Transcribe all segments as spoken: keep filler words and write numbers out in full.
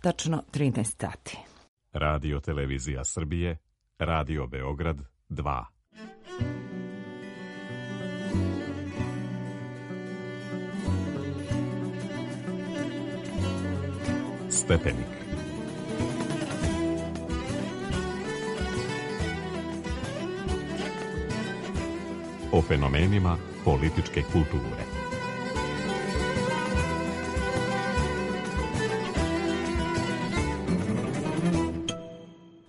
tačno trinaest sati. Radio Televizija Srbije, Radio Beograd dva. Stepenik. O fenomenima političke kulture.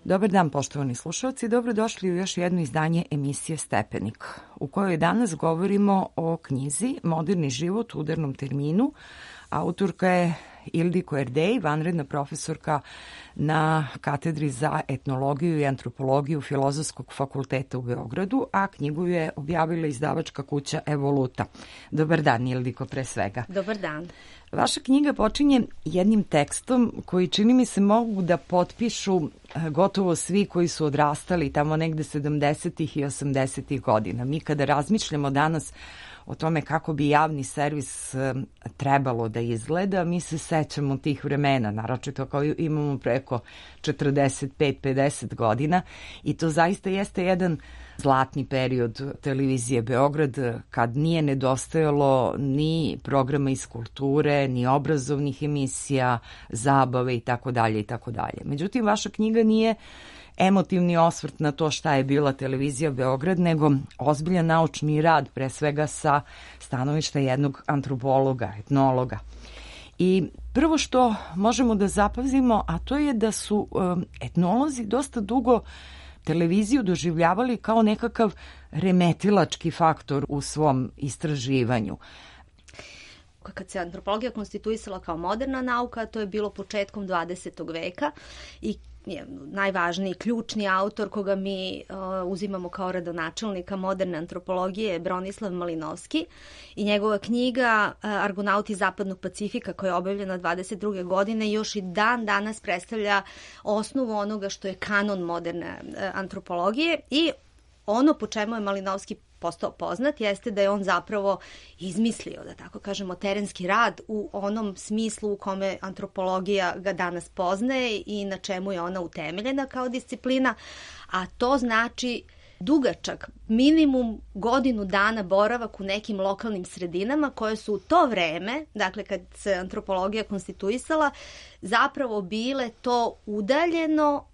Dobar dan, poštovani slušalci, dobrodošli u još jedno izdanje emisije Stepenik, u kojoj danas govorimo o knjizi Moderni život u udarnom terminu. Autorka je Ildiko Erdej, vanredna profesorka na katedri za etnologiju i antropologiju Filozofskog fakulteta u Beogradu, a knjigu je objavila izdavačka kuća Evoluta. Dobar dan, Ildiko, pre svega. Dobar dan. Vaša knjiga počinje jednim tekstom koji, čini mi se, mogu da potpišu gotovo svi koji su odrastali tamo negde sedamdesetih i osamdesetih godina. Mi kada razmišljamo danas o tome kako bi javni servis trebalo da izgleda, mi se sećamo tih vremena, naročito kao imamo preko četrdeset pet pedeset godina, i to zaista jeste jedan zlatni period televizije Beograd, kad nije nedostajalo ni programa iz kulture, ni obrazovnih emisija, zabave i tako dalje i tako dalje. Međutim, vaša knjiga nije emotivni osvrt na to šta je bila televizija Beograd, nego ozbiljan naučni rad, pre svega sa stanovišta jednog antropologa, etnologa. I prvo što možemo da zapazimo, a to je da su um, etnolozi dosta dugo televiziju doživljavali kao nekakav remetilački faktor u svom istraživanju. Kad se antropologija konstituisala kao moderna nauka, to je bilo početkom dvadesetog veka i najvažniji ključni autor koga mi uh, uzimamo kao rodonačelnika moderne antropologije je Bronislav Malinovski i njegova knjiga uh, Argonauti zapadnog Pacifika, koja je objavljena dvadeset druge godine, još i dan danas predstavlja osnovu onoga što je kanon moderne uh, antropologije. I ono po čemu je Malinovski postao poznat jeste da je on zapravo izmislio, da tako kažemo, terenski rad u onom smislu u kome antropologija ga danas poznaje i na čemu je ona utemeljena kao disciplina, a to znači dugačak, minimum godinu dana boravak u nekim lokalnim sredinama koje su u to vreme, dakle kad se antropologija konstituisala, zapravo bile to udaljeno,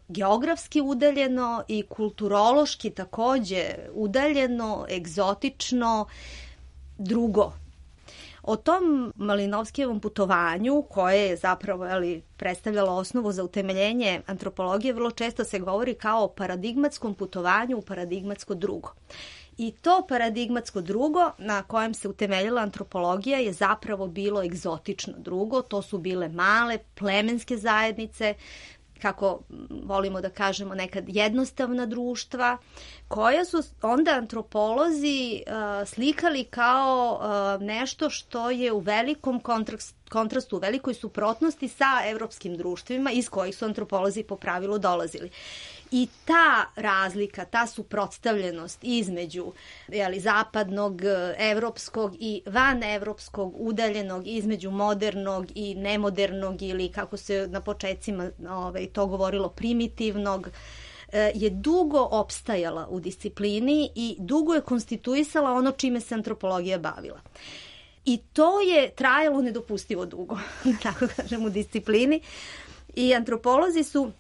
geografski udaljeno i kulturološki takođe udaljeno, egzotično, drugo. O tom Malinovskijevom putovanju, koje je zapravo ali, predstavljalo osnovu za utemeljenje antropologije, vrlo često se govori kao o paradigmatskom putovanju u paradigmatsko drugo. I to paradigmatsko drugo na kojem se utemeljila antropologija je zapravo bilo egzotično drugo. To su bile male plemenske zajednice, kako volimo da kažemo nekad jednostavna društva, koja su onda antropolozi uh, slikali kao uh, nešto što je u velikom kontrast, kontrastu, u velikoj suprotnosti sa evropskim društvima iz kojih su antropolozi po pravilu dolazili. I ta razlika, ta suprotstavljenost između jeli, zapadnog, evropskog i vanevropskog, udaljenog, između modernog i nemodernog ili kako se na početcima ovaj, to govorilo primitivnog, je dugo opstajala u disciplini i dugo je konstituisala ono čime se antropologija bavila. I to je trajalo nedopustivo dugo, tako kažem, u disciplini. I antropolozi su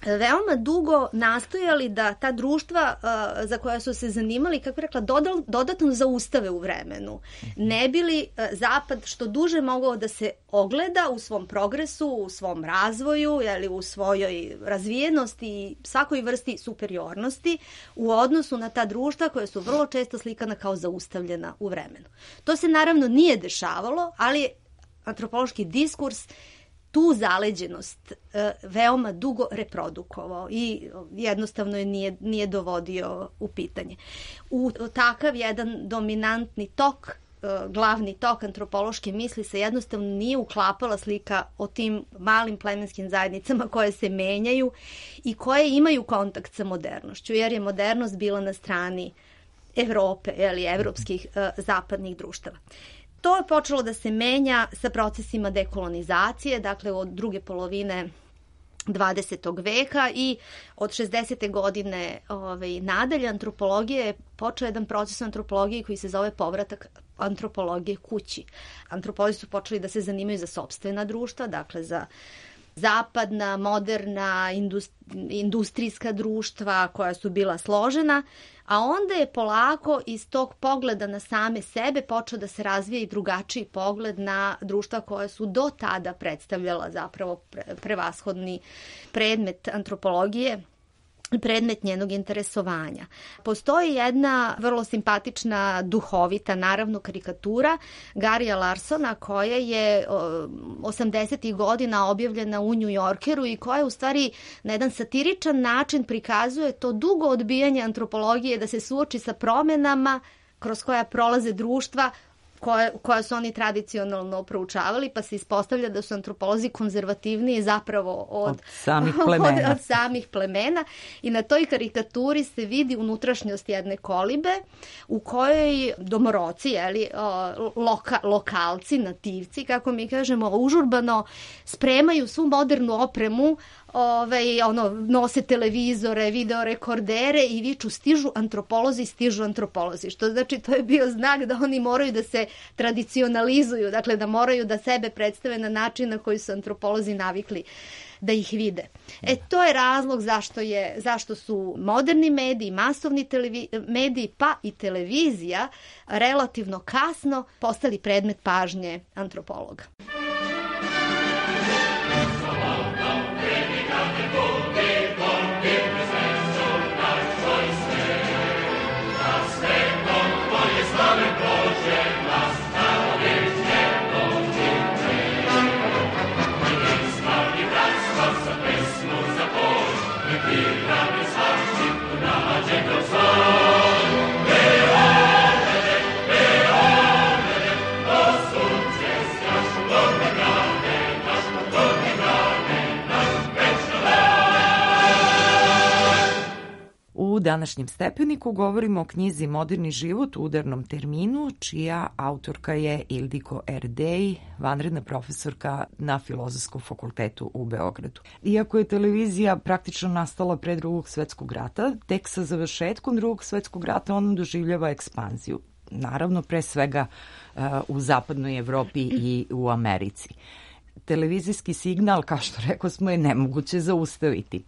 veoma dugo nastojali da ta društva uh, za koja su se zanimali, kako je rekla, dodal, dodatno zaustave u vremenu. Ne bi li uh, Zapad što duže mogao da se ogleda u svom progresu, u svom razvoju, jeli, u svojoj razvijenosti i svakoj vrsti superiornosti u odnosu na ta društva koja su vrlo često slikana kao zaustavljena u vremenu. To se naravno nije dešavalo, ali antropološki diskurs tu zaleđenost e, veoma dugo reprodukovao i jednostavno je nije, nije dovodio u pitanje. U takav jedan dominantni tok, e, glavni tok antropološke misli se jednostavno nije uklapala slika o tim malim plemenskim zajednicama koje se menjaju i koje imaju kontakt sa modernošću, jer je modernost bila na strani Evrope ili evropskih e, zapadnih društava. To je počelo da se menja sa procesima dekolonizacije, dakle od druge polovine dvadesetog veka i od šezdesete godine ovaj, nadalje antropologija je počeo jedan proces u antropologiji koji se zove povratak antropologije kući. Antropolozi su počeli da se zanimaju za sopstvena društva, dakle za zapadna, moderna, industrijska društva koja su bila složena, a onda je polako iz tog pogleda na same sebe počeo da se razvija i drugačiji pogled na društva koja su do tada predstavljala zapravo prevashodni predmet antropologije, predmet njenog interesovanja. Postoji jedna vrlo simpatična, duhovita, naravno, karikatura Garija Larsona koja je osamdesetih godina objavljena u New Yorkeru i koja u stvari na jedan satiričan način prikazuje to dugo odbijanje antropologije da se suoči sa promenama kroz koja prolaze društva koje, koja su oni tradicionalno proučavali, pa se ispostavlja da su antropolozi konzervativniji zapravo od, od, samih, plemena. od, od samih plemena. I na toj karikaturi se vidi unutrašnjost jedne kolibe u kojoj domoroci, jeli, loka, lokalci, nativci, kako mi kažemo, užurbano spremaju svu modernu opremu, Ove, ono, nose televizore, videorekordere i viču stižu antropolozi, stižu antropolozi. Što znači to je bio znak da oni moraju da se tradicionalizuju, dakle da moraju da sebe predstave na način na koji su antropolozi navikli da ih vide. E, to je razlog zašto, je, zašto su moderni mediji, masovni televi, mediji, pa i televizija relativno kasno postali predmet pažnje antropologa. U današnjem stepeniku govorimo o knjizi Moderni život u udarnom terminu, čija autorka je Ildiko Erdej, vanredna profesorka na Filozofskom fakultetu u Beogradu. Iako je televizija praktično nastala pre Drugog svetskog rata, tek sa završetkom Drugog svetskog rata ona doživljava ekspanziju. Naravno, pre svega uh, u zapadnoj Evropi i u Americi. Televizijski signal, kao što rekao smo, je nemoguće zaustaviti.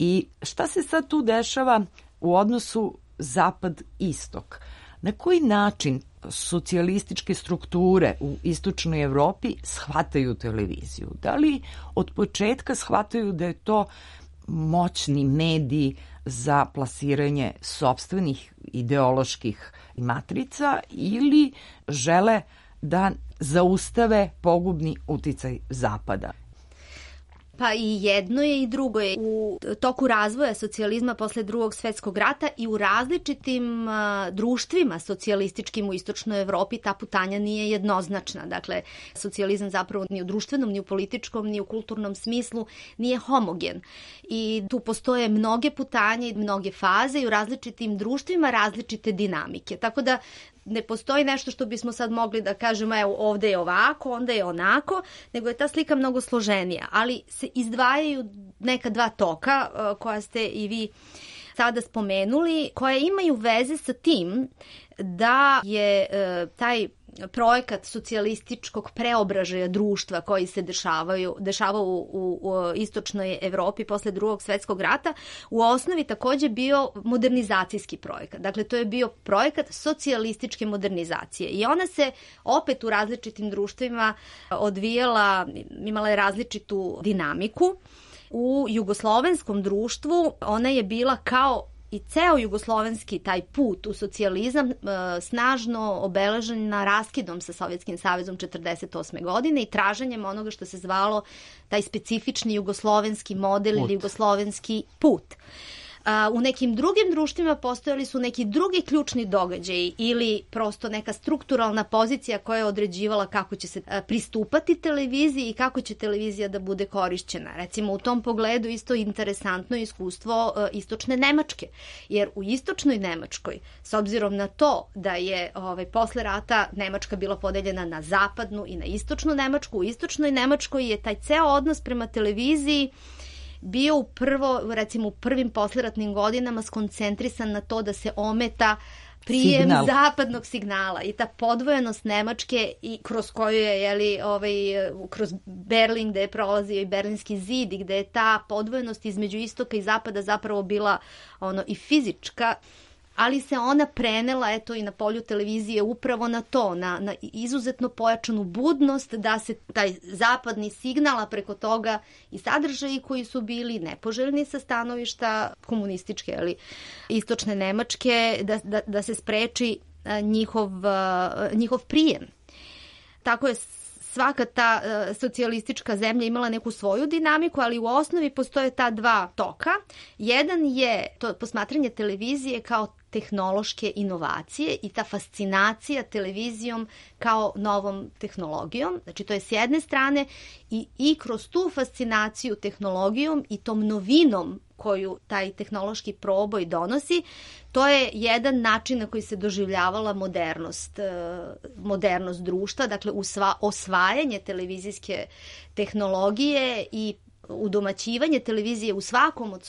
I šta se sad tu dešava u odnosu zapad-istok? Na koji način socijalističke strukture u istočnoj Evropi shvataju televiziju? Da li od početka shvataju da je to moćni medij za plasiranje sopstvenih ideoloških matrica ili žele da zaustave pogubni uticaj Zapada? Pa i jedno je i drugo je. U toku razvoja socijalizma posle Drugog svetskog rata i u različitim uh, društvima socijalističkim u istočnoj Evropi ta putanja nije jednoznačna. Dakle, socijalizam zapravo ni u društvenom, ni u političkom, ni u kulturnom smislu nije homogen. I tu postoje mnoge putanje i mnoge faze i u različitim društvima različite dinamike. Tako da ne postoji nešto što bismo sad mogli da kažemo evo ovde je ovako, onda je onako, nego je ta slika mnogo složenija. Ali se izdvajaju neka dva toka koja ste i vi sada spomenuli, koje imaju veze sa tim da je e, taj projekat socijalističkog preobražaja društva koji se dešavaju, dešavao u, u, u istočnoj Evropi posle Drugog svetskog rata u osnovi takođe bio modernizacijski projekat. Dakle, to je bio projekat socijalističke modernizacije i ona se opet u različitim društvima odvijala, imala je različitu dinamiku. U jugoslovenskom društvu ona je bila kao i ceo jugoslovenski taj put u socijalizam e, snažno obeležena raskidom sa Sovjetskim savezom četrdeset osme godine i traženjem onoga što se zvalo taj specifični jugoslovenski model put. Ili jugoslovenski put. A, u nekim drugim društvima postojali su neki drugi ključni događaji ili prosto neka strukturalna pozicija koja je određivala kako će se a, pristupati televiziji i kako će televizija da bude korišćena. Recimo u tom pogledu isto interesantno iskustvo a, istočne Nemačke, jer u istočnoj Nemačkoj, s obzirom na to da je ovaj, posle rata Nemačka bila podeljena na zapadnu i na istočnu Nemačku, u istočnoj Nemačkoj je taj ceo odnos prema televiziji bio u prvo, recimo u prvim posleratnim godinama skoncentrisan na to da se ometa prijem Signal. zapadnog signala i ta podvojenost Nemačke i kroz koju je, jeli, ovaj, kroz Berlin gde je prolazio i Berlinski zid i gde je ta podvojenost između istoka i zapada zapravo bila ono i fizička, ali se ona prenela eto i na polju televizije upravo na to, na, na izuzetno pojačanu budnost da se taj zapadni signal, a preko toga i sadržaji koji su bili nepoželjni sa stanovišta komunističke, ali istočne Nemačke, da, da, da se spreči njihov, njihov prijem. Tako je svaka ta uh, socijalistička zemlja imala neku svoju dinamiku, ali u osnovi postoje ta dva toka. Jedan je to posmatranje televizije kao tehnološke inovacije i ta fascinacija televizijom kao novom tehnologijom. Znači to je s jedne strane i, i kroz tu fascinaciju tehnologijom i tom novinom koju taj tehnološki proboj donosi, to je jedan način na koji se doživljavala modernost, modernost društva, dakle usva, osvajanje televizijske tehnologije i udomaćivanje televizije u svakom od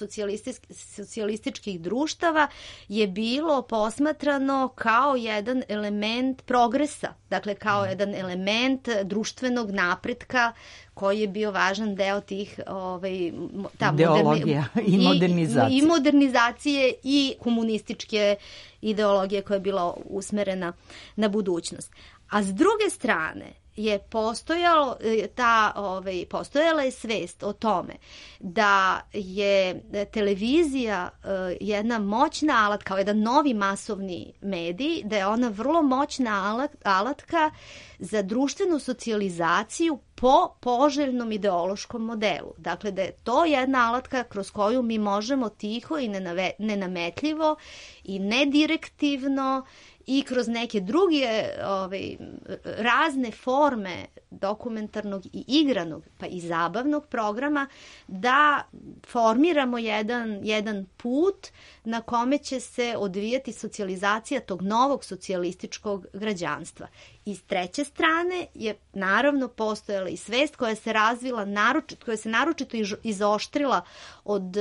socijalističkih društava je bilo posmatrano kao jedan element progresa, dakle kao jedan element društvenog napretka koji je bio važan deo tih ovaj, ta ideologija moderni, i modernizacije. I, I modernizacije i komunističke ideologije koja je bila usmerena na budućnost. A s druge strane, je postojalo ta ovaj postojala je svest o tome da je televizija uh, jedna moćna alat, kao jedan novi masovni medij, da je ona vrlo moćna alat, alatka za društvenu socijalizaciju po poželjnom ideološkom modelu. Dakle, da je to jedna alatka kroz koju mi možemo tiho i nenave, nenametljivo i nedirektivno i kroz neke druge ovaj, razne forme dokumentarnog i igranog, pa i zabavnog programa, da formiramo jedan, jedan put na kome će se odvijati socijalizacija tog novog socijalističkog građanstva. I s treće strane je naravno postojala i svest koja se razvila, naročito, koja se naročito izoštrila od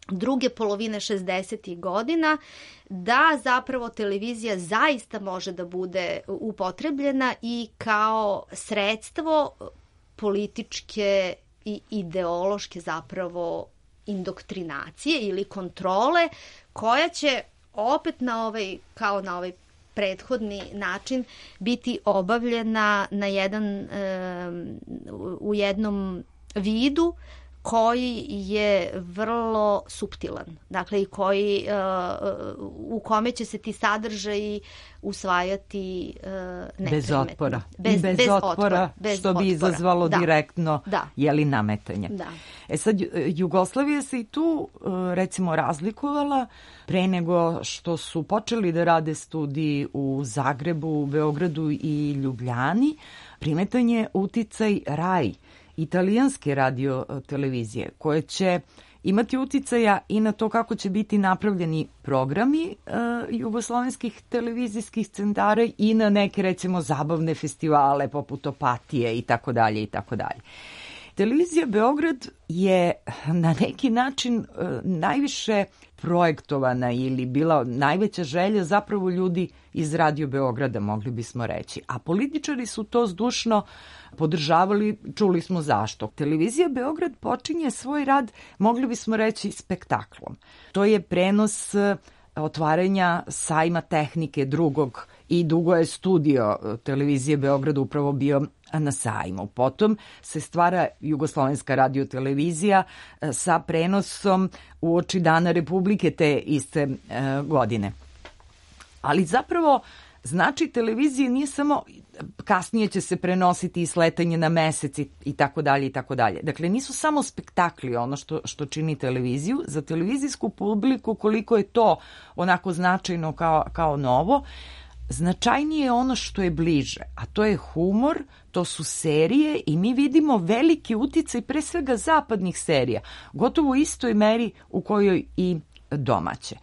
druge polovine šezdesetih godina, da zapravo televizija zaista može da bude upotrebljena i kao sredstvo političke i ideološke zapravo indoktrinacije ili kontrole, koja će opet na ovaj, kao na ovaj prethodni način biti obavljena na jedan, u jednom vidu koji je vrlo suptilan, dakle i koji, uh, u kome će se ti sadržaji usvajati uh, neprimetno. Bez otpora. Bez, I bez, bez otpora, otpora, bez što bi otpora. izazvalo da. direktno da. jeli nametanje. Da. E sad, Jugoslavija se i tu recimo razlikovala pre nego što su počeli da rade studiji u Zagrebu, Beogradu i Ljubljani. Primetan je uticaj RAI, italijanske radio televizije, koje će imati uticaja i na to kako će biti napravljeni programi e, jugoslovenskih televizijskih centara i na neke recimo zabavne festivale poput Opatije i tako dalje i tako dalje. Televizija Beograd je na neki način e, najviše projektovana ili bila najveća želja zapravo ljudi iz Radio Beograda, mogli bismo reći. A političari su to zdušno podržavali, čuli smo zašto. Televizija Beograd počinje svoj rad, mogli bismo reći, spektaklom. To je prenos otvaranja sajma tehnike drugog i dugo je studio Televizije Beograd upravo bio na sajmu. Potom se stvara Jugoslovenska radiotelevizija sa prenosom uoči Dana Republike te iste e, godine. Ali zapravo Znači, televizija nije samo kasnije će se prenositi i sletanje na mesec i, i tako dalje i tako dalje. Dakle, nisu samo spektakli ono što, što čini televiziju. Za televizijsku publiku, koliko je to onako značajno kao, kao novo, značajnije je ono što je bliže, a to je humor, to su serije i mi vidimo veliki uticaj pre svega zapadnih serija, gotovo u istoj meri u kojoj i domaće.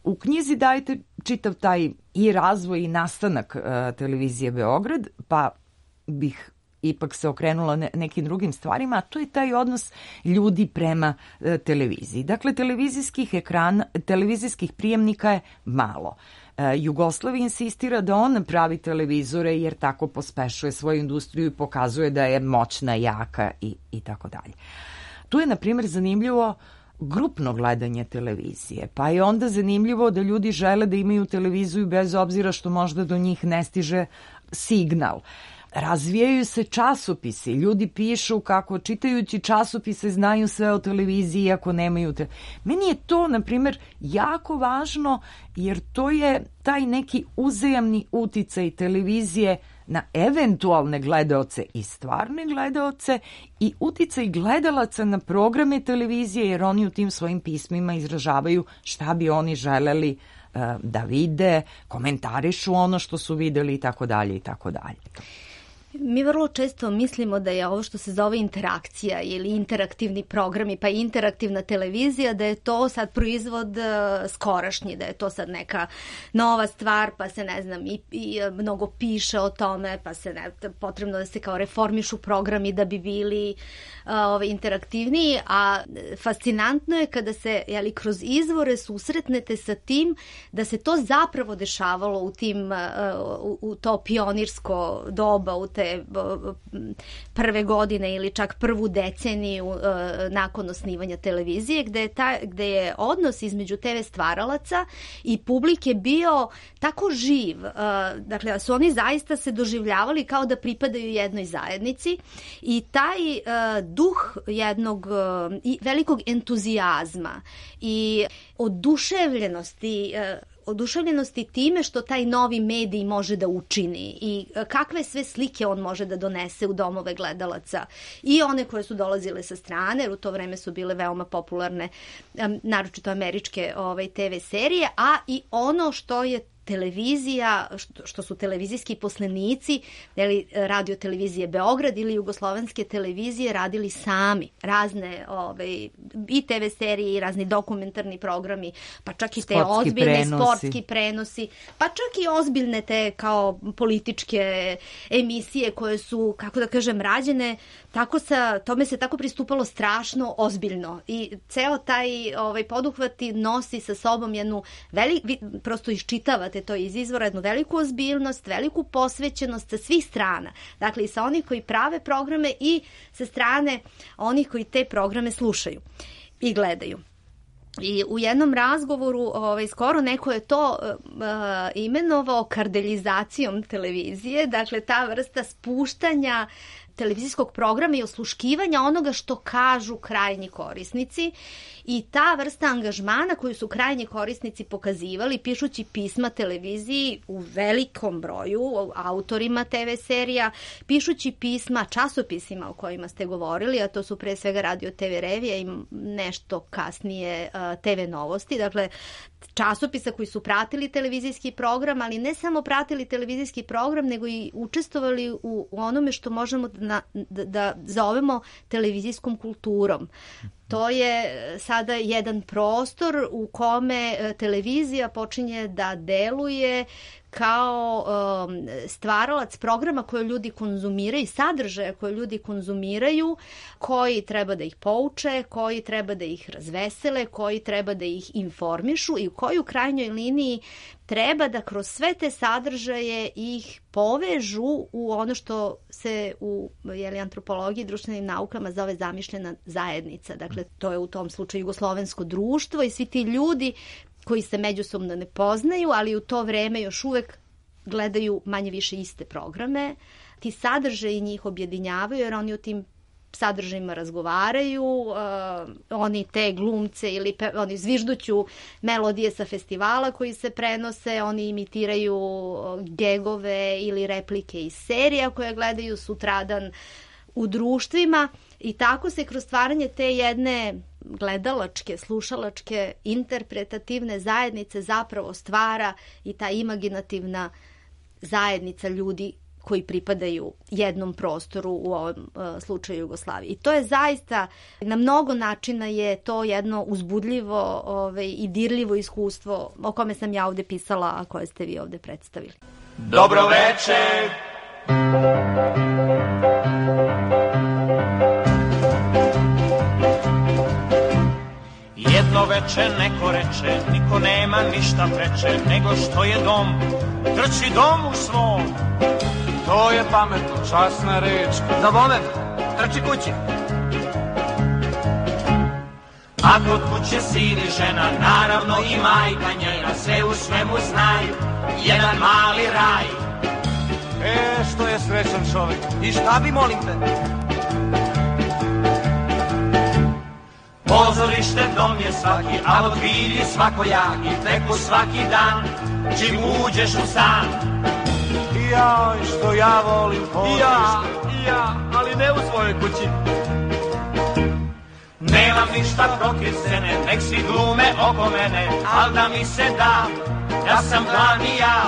U knjizi dajete čitav taj i razvoj i nastanak uh, televizije Beograd, pa bih ipak se okrenula ne, nekim drugim stvarima, a to je taj odnos ljudi prema uh, televiziji. Dakle, televizijskih ekrana, televizijskih prijemnika je malo. Uh, Jugoslavija insistira da on pravi televizore jer tako pospešuje svoju industriju i pokazuje da je moćna, jaka i, i tako dalje. Tu je, na primjer, zanimljivo grupno gledanje televizije, pa je onda zanimljivo da ljudi žele da imaju televiziju bez obzira što možda do njih ne stiže signal. Razvijaju se časopisi, ljudi pišu kako čitajući časopise znaju sve o televiziji iako nemaju te... Meni je to, na primjer, jako važno jer to je taj neki uzajamni uticaj televizije na eventualne gledaoce i stvarne gledaoce i uticaj gledalaca na programe televizije jer oni u tim svojim pismima izražavaju šta bi oni želeli uh, da vide, komentarišu ono što su videli i tako dalje i tako dalje. Mi vrlo često mislimo da je ovo što se zove interakcija ili interaktivni programi, pa i interaktivna televizija, da je to sad proizvod uh, skorašnji, da je to sad neka nova stvar, pa se ne znam i, i mnogo piše o tome, pa se ne, potrebno da se kao reformišu programi da bi bili uh, ovaj, interaktivniji, a fascinantno je kada se jeli, kroz izvore susretnete sa tim da se to zapravo dešavalo u tim uh, u, u to pionirsko doba, u te prve godine ili čak prvu deceniju uh, nakon osnivanja televizije, gde je, ta, gde je odnos između te ve stvaralaca i publike bio tako živ. Uh, dakle, su oni zaista se doživljavali kao da pripadaju jednoj zajednici i taj uh, duh jednog uh, i velikog entuzijazma i oduševljenosti uh, oduševljenosti time što taj novi medij može da učini i kakve sve slike on može da donese u domove gledalaca i one koje su dolazile sa strane, jer u to vreme su bile veoma popularne, naročito američke ovaj, te ve serije, a i ono što je televizija, što, što su televizijski poslenici, ili radio televizije Beograd ili jugoslovenske televizije radili sami. Razne ove, i te ve serije i razni dokumentarni programi, pa čak i te sportski ozbiljne prenosi. sportski prenosi, pa čak i ozbiljne te kao političke emisije koje su, kako da kažem, rađene, tako sa, tome se tako pristupalo strašno ozbiljno. I ceo taj ovaj, poduhvati nosi sa sobom jednu veliku, prosto iščitavate to iz izvora, jednu veliku ozbiljnost, veliku posvećenost sa svih strana. Dakle, i sa onih koji prave programe i sa strane onih koji te programe slušaju i gledaju. I u jednom razgovoru ovaj, skoro neko je to uh, imenovao kardeljizacijom televizije, dakle ta vrsta spuštanja televizijskog programa i osluškivanja onoga što kažu krajnji korisnici i ta vrsta angažmana koju su krajnji korisnici pokazivali pišući pisma televiziji u velikom broju, autorima te ve serija, pišući pisma časopisima o kojima ste govorili, a to su pre svega Radio te ve Revija i nešto kasnije te ve Novosti, dakle časopisa koji su pratili televizijski program, ali ne samo pratili televizijski program, nego i učestvovali u, u onome što možemo da, da, da zovemo televizijskom kulturom. To je sada jedan prostor u kome televizija počinje da deluje kao um, stvaralac programa koje ljudi konzumiraju, sadržaja koje ljudi konzumiraju, koji treba da ih pouče, koji treba da ih razvesele, koji treba da ih informišu i u koju krajnjoj liniji treba da kroz sve te sadržaje ih povežu u ono što se u jeli, antropologiji i društvenim naukama zove zamišljena zajednica. Dakle, to je u tom slučaju jugoslovensko društvo i svi ti ljudi koji se međusobno ne poznaju, ali u to vreme još uvek gledaju manje više iste programe. Ti sadržaji njih objedinjavaju jer oni u tim sadržajima razgovaraju, uh, oni te glumce ili pe, oni zvižduću melodije sa festivala koji se prenose, oni imitiraju gegove ili replike iz serija koje gledaju sutradan u društvima i tako se kroz stvaranje te jedne gledalačke, slušalačke, interpretativne zajednice zapravo stvara i ta imaginativna zajednica ljudi koji pripadaju jednom prostoru, u ovom uh, slučaju Jugoslaviji. I to je zaista, na mnogo načina je to jedno uzbudljivo ovaj, i dirljivo iskustvo o kome sam ja ovde pisala, a koje ste vi ovde predstavili. Dobro večer! Jedno veče neko reče, niko nema ništa preče, nego što je dom, trči domu svom. To je pametno, časna reč. Za moment, trči kući. A kod kuće sin i žena, naravno i majka njena, sve u svemu znaju, jedan mali raj. E, što je srećan čovjek. I šta bi, molim te? Pozorište dom je svaki, a od vidi svakojaki, teku svaki dan, čim uđeš u stan. I ja, što ja volim pozorište. I ja, i ja, ali ne u svojoj kući. Nemam ništa protiv scene, nek si glume oko mene, al da mi se da, ja sam glavni ja.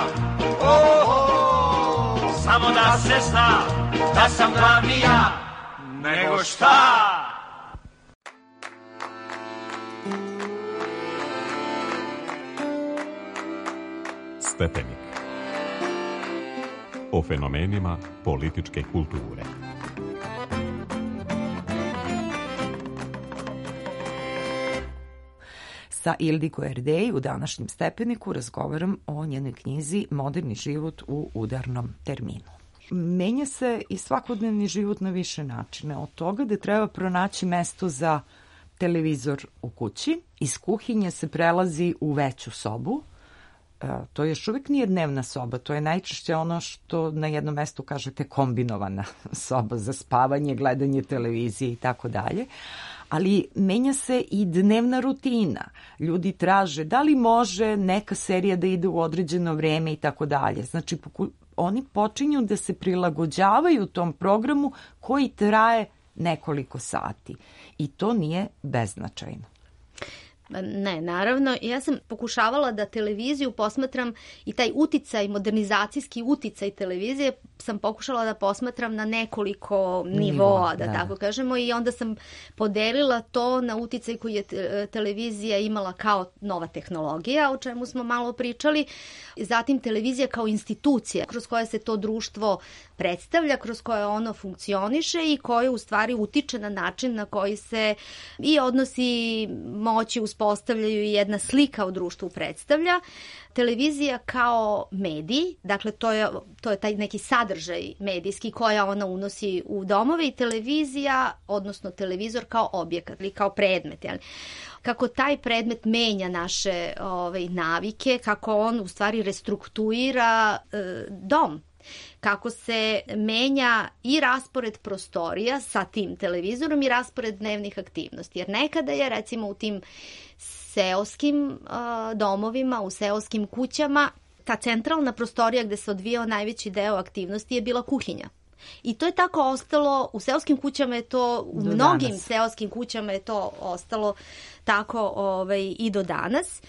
Oh, oh, samo da se zna, da sam glavni ja. Nego šta? Stepenik. O fenomenima političke kulture. Sa Ildiko Erdej u današnjem Stepeniku razgovaram o njenoj knjizi Moderni život u udarnom terminu. Menja se i svakodnevni život na više načina. Od toga da treba pronaći mesto za televizor u kući, iz kuhinje se prelazi u veću sobu. To još uvijek nije dnevna soba, to je najčešće ono što na jednom mestu kažete kombinovana soba za spavanje, gledanje televizije i tako dalje. Ali menja se i dnevna rutina. Ljudi traže da li može neka serija da ide u određeno vreme i tako dalje. Znači, oni počinju da se prilagođavaju tom programu koji traje nekoliko sati. I to nije beznačajno. Ne, naravno. Ja sam pokušavala da televiziju posmatram i taj uticaj, modernizacijski uticaj televizije sam pokušala da posmatram na nekoliko nivoa, da, da tako kažemo, i onda sam podelila to na uticaj koji je televizija imala kao nova tehnologija, o čemu smo malo pričali, zatim televizija kao institucija kroz koje se to društvo predstavlja, kroz koje ono funkcioniše i koje u stvari utiče na način na koji se i odnosi moći uspostavljaju i jedna slika u društvu predstavlja. Televizija kao medij, dakle to je, to je taj neki sadržaj medijski koja ona unosi u domove, i televizija, odnosno televizor kao objekat ili kao predmet, jel? Kako taj predmet menja naše ovaj, navike, kako on u stvari restruktuira e, dom, kako se menja i raspored prostorija sa tim televizorom i raspored dnevnih aktivnosti. Jer nekada je recimo u tim seoskim uh, domovima, u seoskim kućama, ta centralna prostorija gde se odvijao najveći deo aktivnosti je bila kuhinja. I to je tako ostalo, u seoskim kućama je to, u do mnogim danas. seoskim kućama je to ostalo tako ovaj, i do danas.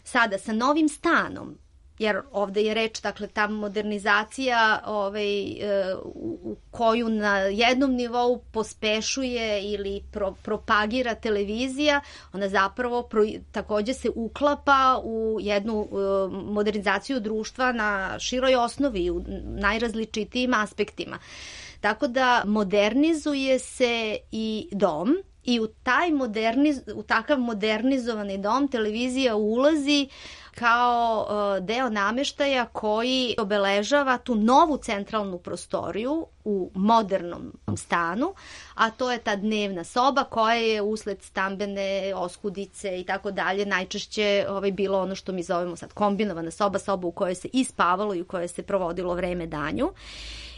Sada sa novim stanom, jer ovde je reč, dakle, ta modernizacija ovaj, u koju na jednom nivou pospešuje ili pro, propagira televizija, ona zapravo pro, takođe se uklapa u jednu modernizaciju društva na široj osnovi, u najrazličitijim aspektima. Tako da modernizuje se i dom, i u, taj moderniz, u takav modernizovani dom televizija ulazi kao uh, deo nameštaja koji obeležava tu novu centralnu prostoriju u modernom stanu, a to je ta dnevna soba koja je usled stambene oskudice i tako dalje najčešće ovaj, bilo ono što mi zovemo sad kombinovana soba, soba u kojoj se i spavalo i u kojoj se provodilo vreme danju.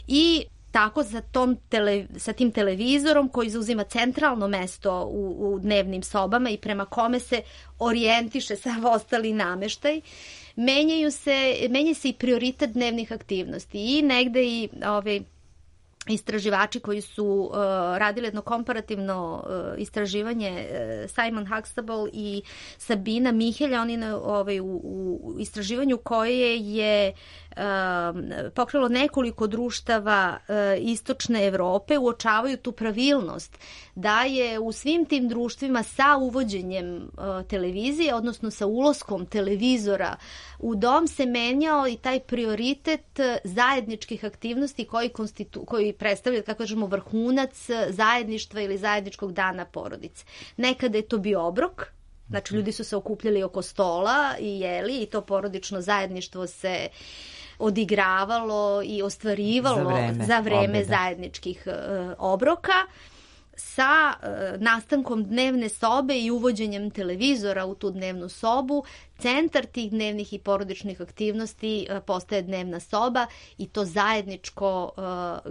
I tako sa, tom tele, sa tim televizorom koji zauzima centralno mesto u, u dnevnim sobama i prema kome se orijentiše sav ostali nameštaj, menjaju se, menja se i prioritet dnevnih aktivnosti i negde i ovaj, istraživači koji su uh, radili jedno komparativno uh, istraživanje, uh, Simon Huxtable i Sabina Mihelja, oni na, ovaj, u, u istraživanju koje je uh, pokrilo nekoliko društava uh, istočne Evrope, uočavaju tu pravilnost da je u svim tim društvima sa uvođenjem uh, televizije, odnosno sa ulaskom televizora u dom se menjao i taj prioritet zajedničkih aktivnosti koji, konstitu, koji predstavlja, kako kažemo, vrhunac zajedništva ili zajedničkog dana porodice. Nekada je to bio obrok, znači ljudi su se okupljali oko stola i jeli i to porodično zajedništvo se odigravalo i ostvarivalo za vreme, za vreme zajedničkih uh, obroka. Sa uh, nastankom dnevne sobe i uvođenjem televizora u tu dnevnu sobu, centar tih dnevnih i porodičnih aktivnosti uh, postaje dnevna soba i to zajedničko uh,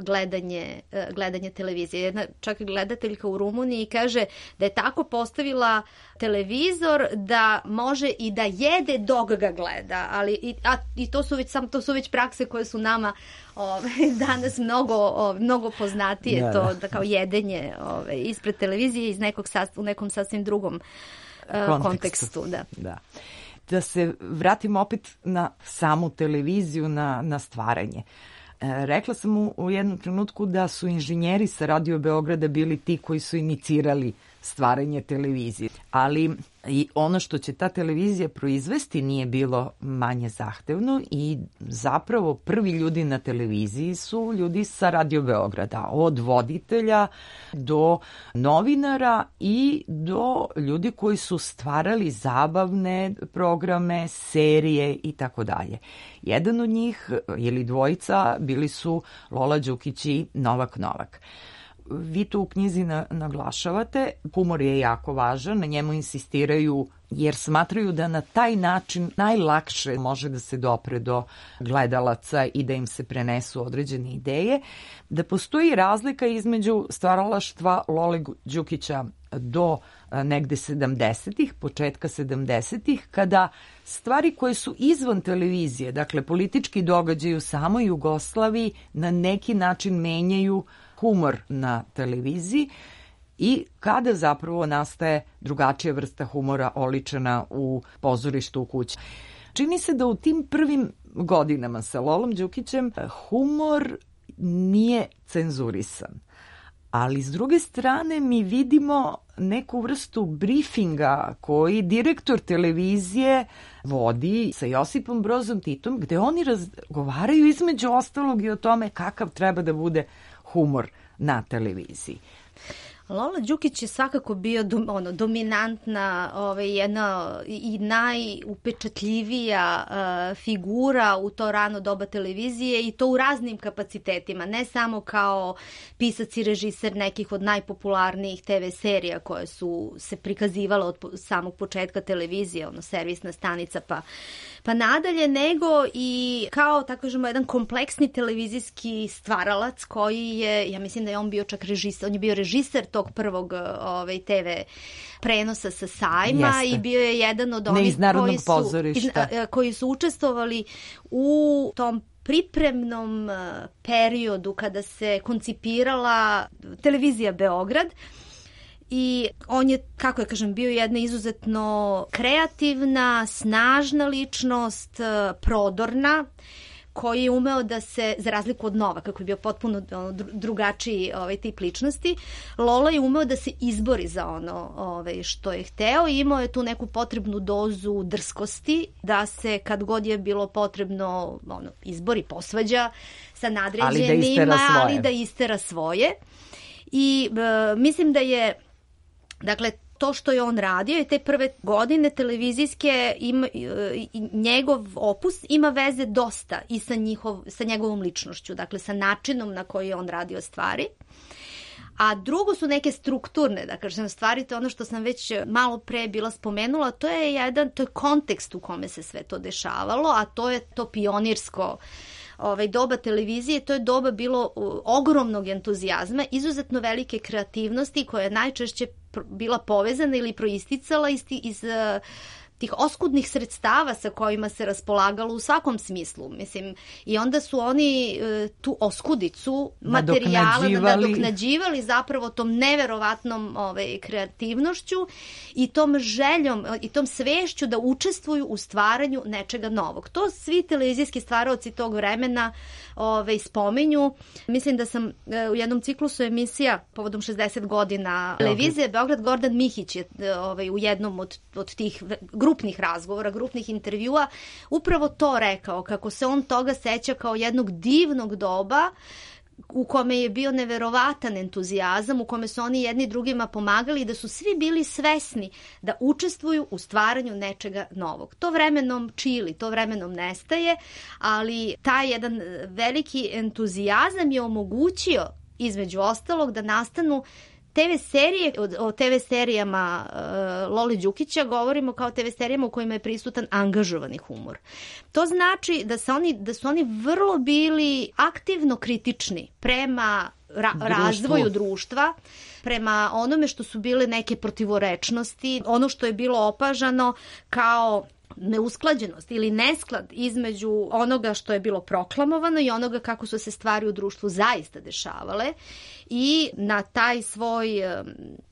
gledanje, uh, gledanje televizije. Jedna čak gledateljka u Rumuniji kaže da je tako postavila televizor da može i da jede dok ga gleda, ali i, a, i to su već sam to su već prakse koje su nama ove, danas mnogo ove, mnogo poznatije, da, to da kao jedenje ove, ispred televizije iz nekog u nekom sasvim drugom uh, kontekstu. kontekstu da. Da. Da se vratimo opet na samu televiziju, na, na stvaranje. E, rekla sam u, u jednom trenutku da su inženjeri sa Radio Beograda bili ti koji su inicirali stvaranje televizije, ali i ono što će ta televizija proizvesti nije bilo manje zahtevno i zapravo prvi ljudi na televiziji su ljudi sa Radio Beograda, od voditelja do novinara i do ljudi koji su stvarali zabavne programe, serije i tako dalje. Jedan od njih ili dvojica bili su Lola Đukić i Novak Novak. Vi to u knjizi naglašavate, humor je jako važan, na njemu insistiraju jer smatraju da na taj način najlakše može da se dopre do gledalaca i da im se prenesu određene ideje, da postoji razlika između stvaralaštva Lole Đukića do negde sedamdesetih, početka sedamdesetih, kada stvari koje su izvan televizije, dakle politički događaj u samoj Jugoslaviji, na neki način menjaju humor na televiziji i kada zapravo nastaje drugačija vrsta humora oličena u pozorištu u kući. Čini se da u tim prvim godinama sa Lolom Đukićem humor nije cenzurisan. Ali s druge strane mi vidimo neku vrstu briefinga koji direktor televizije vodi sa Josipom Brozom Titom, gde oni razgovaraju između ostalog i o tome kakav treba da bude humor na televiziji. Lola Đukić je svakako bio dom, ono, dominantna, ovaj, jedna i najupečatljivija uh, figura u to rano doba televizije i to u raznim kapacitetima, ne samo kao pisac i režiser nekih od najpopularnijih te ve serija koje su se prikazivale od samog početka televizije, ono, servisna stanica pa pa nadalje, nego i kao, tako kažemo, jedan kompleksni televizijski stvaralac koji je, ja mislim da je on bio čak režiser, on je bio režiser tog prvog ovaj, te ve prenosa sa sajma. Jeste. I bio je jedan od onih koji su, iz, koji su učestvovali u tom pripremnom periodu kada se koncipirala televizija Beograd. I on je, kako ja kažem, bio jedna izuzetno kreativna, snažna ličnost, prodorna, koji je umeo da se, za razliku od Novaka, koji je bio potpuno drugačiji ovaj, tip ličnosti, Lola je umeo da se izbori za ono ovaj, što je hteo i imao je tu neku potrebnu dozu drskosti, da se kad god je bilo potrebno ono, izbori, posvađa sa nadređenima, ali da, da istera svoje. I e, mislim da je, dakle, to što je on radio i te prve godine televizijske, ima, njegov opus ima veze dosta i sa, njihov, sa njegovom ličnošću, dakle sa načinom na koji je on radio stvari. A drugo su neke strukturne, da kažem, stvari, to je ono što sam već malo pre bila spomenula, to je jedan, to je kontekst u kome se sve to dešavalo, a to je to pionirsko ovaj, doba televizije, to je doba bilo ogromnog entuzijazma, izuzetno velike kreativnosti koja je najčešće bila povezana ili proisticala iz, iz tih oskudnih sredstava sa kojima se raspolagalo u svakom smislu. Mislim, i onda su oni e, tu oskudicu materijala nadoknađivali zapravo tom neverovatnom ovaj, kreativnošću i tom željom i tom svešću da učestvuju u stvaranju nečega novog. To svi televizijski stvaraoci tog vremena ovaj, spominju. Mislim da sam e, u jednom ciklusu emisija povodom šezdeset godina televizije Beograd, Gordan Mihić je ovaj, u jednom od, od tih grupnih razgovora, grupnih intervjua, upravo to rekao, kako se on toga seća kao jednog divnog doba u kome je bio neverovatan entuzijazam, u kome su oni jedni drugima pomagali i da su svi bili svesni da učestvuju u stvaranju nečega novog. To vremenom čili, to vremenom nestaje, ali taj jedan veliki entuzijazam je omogućio, između ostalog, da nastanu te ve serije, o te ve serijama uh, Lole Đukića govorimo kao te ve serijama u kojima je prisutan angažovani humor. To znači da, se oni, da su oni vrlo bili aktivno kritični prema ra- razvoju društva, prema onome što su bile neke protivorečnosti, ono što je bilo opažano kao neusklađenost ili nesklad između onoga što je bilo proklamovano i onoga kako su se stvari u društvu zaista dešavale i na taj svoj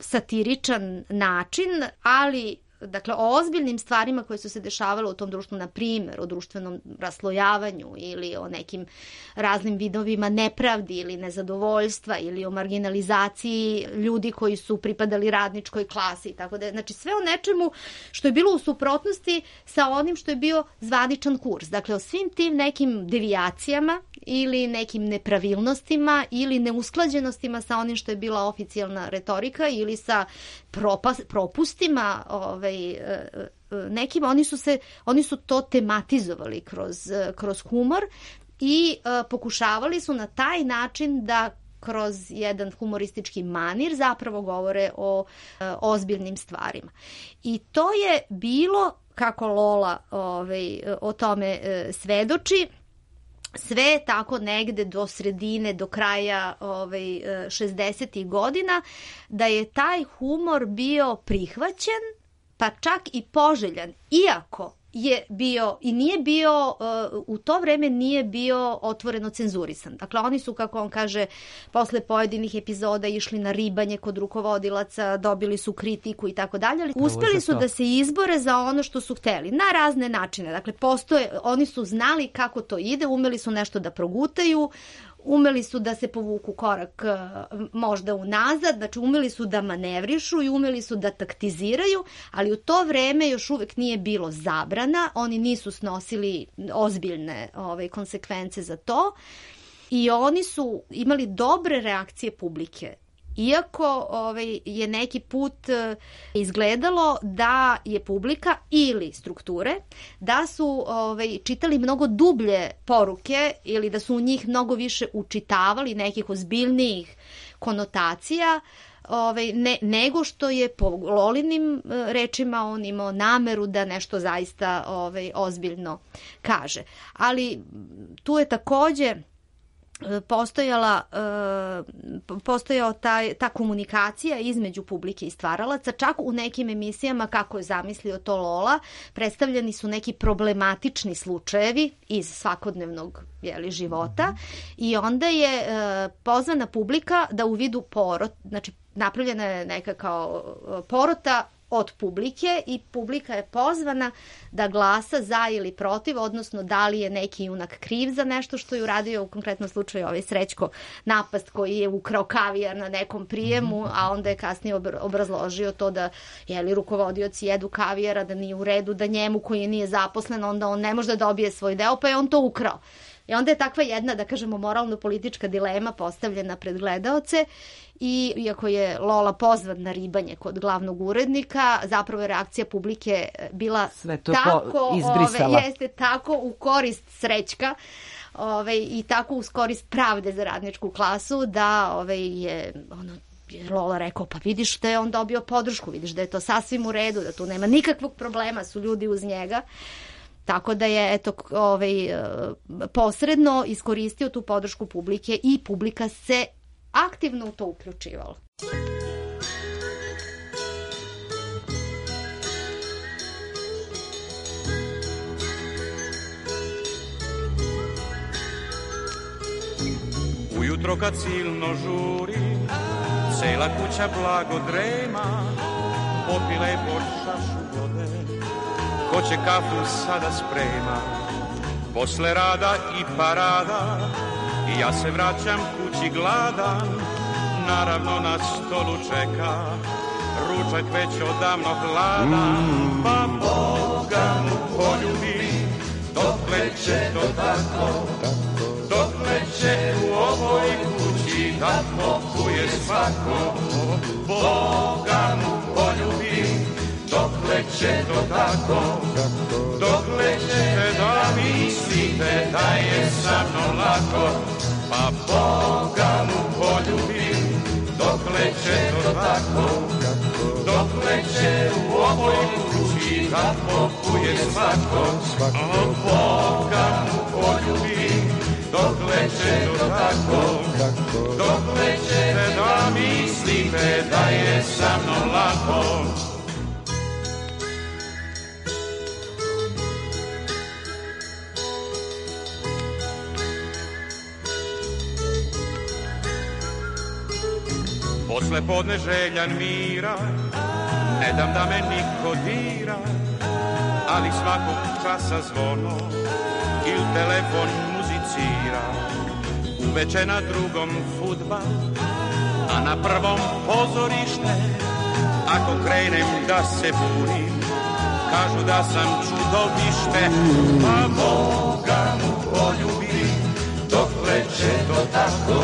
satiričan način, ali dakle o ozbiljnim stvarima koje su se dešavale u tom društvu, na primjer o društvenom raslojavanju ili o nekim raznim vidovima nepravdi ili nezadovoljstva ili o marginalizaciji ljudi koji su pripadali radničkoj klasi, tako da, znači sve o nečemu što je bilo u suprotnosti sa onim što je bio zvaničan kurs. Dakle, o svim tim nekim devijacijama ili nekim nepravilnostima ili neusklađenostima sa onim što je bila oficijalna retorika ili sa propas, propustima ovaj, nekim, oni su, se, oni su to tematizovali kroz, kroz humor i uh, pokušavali su na taj način da kroz jedan humoristički manir zapravo govore o uh, ozbiljnim stvarima. I to je bilo, kako Lola ovaj, o tome uh, svedoči, sve tako negde do sredine, do kraja ovaj, šezdesetih godina, da je taj humor bio prihvaćen, pa čak i poželjan, iako je bio i nije bio, u to vreme nije bio otvoreno cenzurisan. Dakle, oni su, kako on kaže, posle pojedinih epizoda išli na ribanje kod rukovodilaca, dobili su kritiku i tako dalje, ali uspeli su da se izbore za ono što su hteli, na razne načine. Dakle, postoje, oni su znali kako to ide, umeli su nešto da progutaju, umeli su da se povuku korak možda unazad, znači umeli su da manevrišu i umeli su da taktiziraju, ali u to vreme još uvek nije bilo zabrana, oni nisu snosili ozbiljne ove, konsekvence za to i oni su imali dobre reakcije publike. Iako ovaj, je neki put izgledalo da je publika ili strukture, da su ovaj, čitali mnogo dublje poruke ili da su u njih mnogo više učitavali nekih ozbiljnijih konotacija, ovaj, ne, nego što je po Lolinim rečima on imao nameru da nešto zaista ovaj, ozbiljno kaže. Ali tu je takođe postojala, postojao taj, ta komunikacija između publike i stvaralaca, čak u nekim emisijama, kako je zamislio to Lola, predstavljeni su neki problematični slučajevi iz svakodnevnog jeli, života i onda je pozvana publika da u vidu porot, znači napravljena je neka kao porota od publike i publika je pozvana da glasa za ili protiv, odnosno da li je neki junak kriv za nešto što je uradio, u konkretnom slučaju ovaj Srećko Napast koji je ukrao kavijar na nekom prijemu, a onda je kasnije obrazložio to da jeli, rukovodioci jedu kavijara, da nije u redu, da njemu koji nije zaposlen, onda on ne može da dobije svoj deo, pa je on to ukrao. I onda je takva jedna, da kažemo, moralno-politička dilema postavljena pred gledaoce i iako je Lola pozvan na ribanje kod glavnog urednika, zapravo je reakcija publike bila tako, ove, jeste tako u korist Srećka ove, i tako u korist pravde za radničku klasu da ove, je ono, Lola rekao, pa vidiš da je on dobio podršku, vidiš da je to sasvim u redu, da tu nema nikakvog problema, su ljudi uz njega. Tako da je eto, ovaj, posredno iskoristio tu podršku publike i publika se aktivno u to uključivala. Ujutro kad silno žuri, cela kuća blago drema, popila je po šašu vode, ko će kafu sada sprema. Posle rada i parada, i ja se vraćam kući gladan, naravno na stolu čeka, ručak već odavno hladan, pa Boga mu poljubim, dokle će to tako, dokle će u ovoj kući da popuje svako. Boga mu poljubim, dokle će to tako, dokle ćete da mislite da je sa mnom lako. Pa Boga mu poljubim, dokle će to tako, dokle će u ovoj kući da popuje svako. A Boga mu poljubim, dokle će to tako, dokle ćete da mislite da je sa mnom lako. Posle podne željan mira, ne dam da me niko dira, ali svakog časa zvono il telefon muzicira. Uveče na drugom fudbal, a na prvom pozorište. Ako krenem da se bunim, kažu da sam čudovište. Pa Boga mu poljubim, dokle će to tako,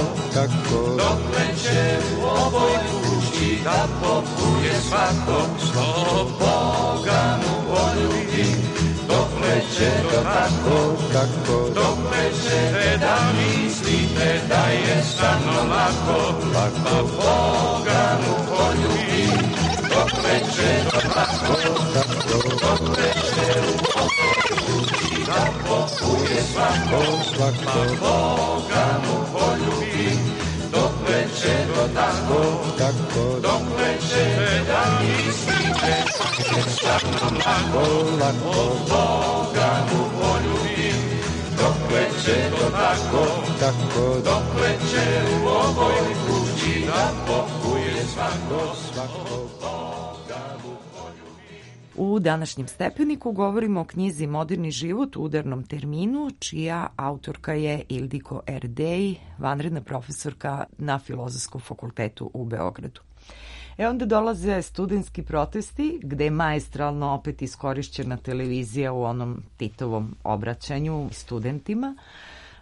dokle će u ovoj kući da popuje svako. O Boga mu poljubim, dokle će to tako, dokle ćete da mislite da je sa mnom lako. Pa Boga mu poljubim, dokle će to tako, dokle će u ovoj kući da popuje svako. Pa Boga mu poljubim, dokle će to tako, dokle ćete da mislite da je sa mnom lako. O Boga mu poljubim, dokle će to tako, dokle će u ovoj kući da popuje svako. U današnjem stepeniku govorimo o knjizi Moderni život u udarnom terminu, čija autorka je Ildiko Erdej, vanredna profesorka na Filozofskom fakultetu u Beogradu. E onda dolaze studentski protesti, gde je maestralno opet iskorišćena televizija u onom Titovom obraćanju studentima.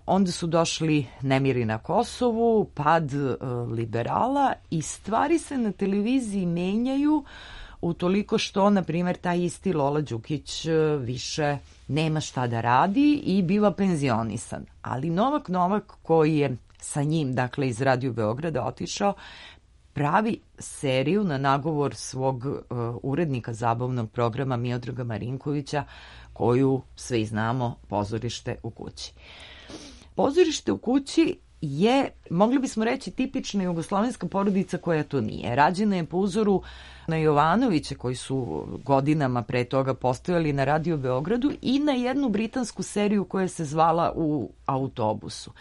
Onda su došli nemiri na Kosovu, pad e, liberala i stvari se na televiziji menjaju utoliko što, na primjer, taj isti Lola Đukić više nema šta da radi i biva penzionisan. Ali Novak Novak, koji je sa njim, dakle iz Radio Beograda, otišao, pravi seriju na nagovor svog uh, urednika zabavnog programa Miodraga Marinkovića, koju svi znamo, Pozorište u kući. Pozorište u kući je, mogli bismo reći, tipična jugoslovenska porodica koja to nije. Rađena je po uzoru na Jovanoviće, koji su godinama pre toga postojali na Radio Beogradu, i na jednu britansku seriju koja se zvala U autobusu.